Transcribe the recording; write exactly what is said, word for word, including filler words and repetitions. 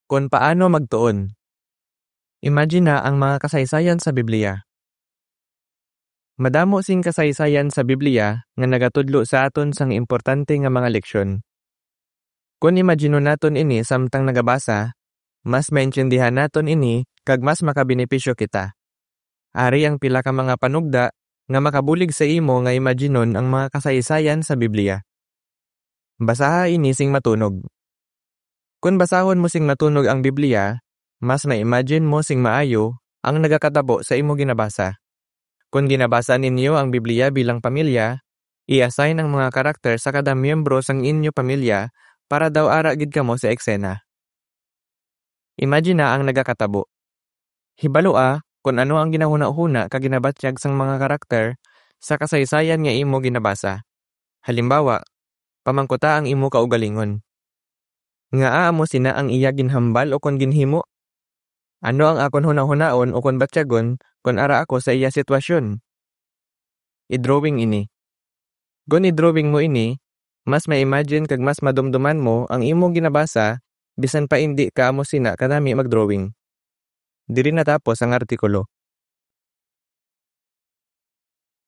kon paano magtuon. Imagine na ang mga kasaysayan sa Biblia. Madamo sing kasaysayan sa Biblia nga nagatudlo sa aton sang importante nga mga leksyon. Kon imaginon naton ini samtang nagabasa, mas maintindihan naton ini kag mas makabenepisyo kita. Ari ang pila ka mga panugda nga makabulig sa imo nga imaginon ang mga kasaysayan sa Biblia. Basaha ini sing matunog. Kon basahon mo sing matunog ang Biblia, mas ma-imagine mo sing maayo ang nagakatabo sa imo ginabasa. Kon ginabasa ninyo ang Biblia bilang pamilya, i-assign ang mga karakter sa kada miyembro sang inyo pamilya para daw ara gid kamo sa eksena. Imagine na ang nagakatabo. Hibalua kon ano ang ginahunahuna kag ginabatyag sang mga karakter sa kasaysayan nga imo ginabasa. Halimbawa, pamangkuta ang imo kaugalingon. Ngaa amo sina ang iya ginhambal ukon ginhimo? Ano ang akon hunahunaon ukon batyagon kon ara ako sa iya sitwasyon? I-drawing ini. Kon i-drawing mo ini, mas ma-imagine kag mas madumduman mo ang imo ginabasa bisan pa indi ka amo sina kanami mag-drawing. Diri natapos ang artikulo.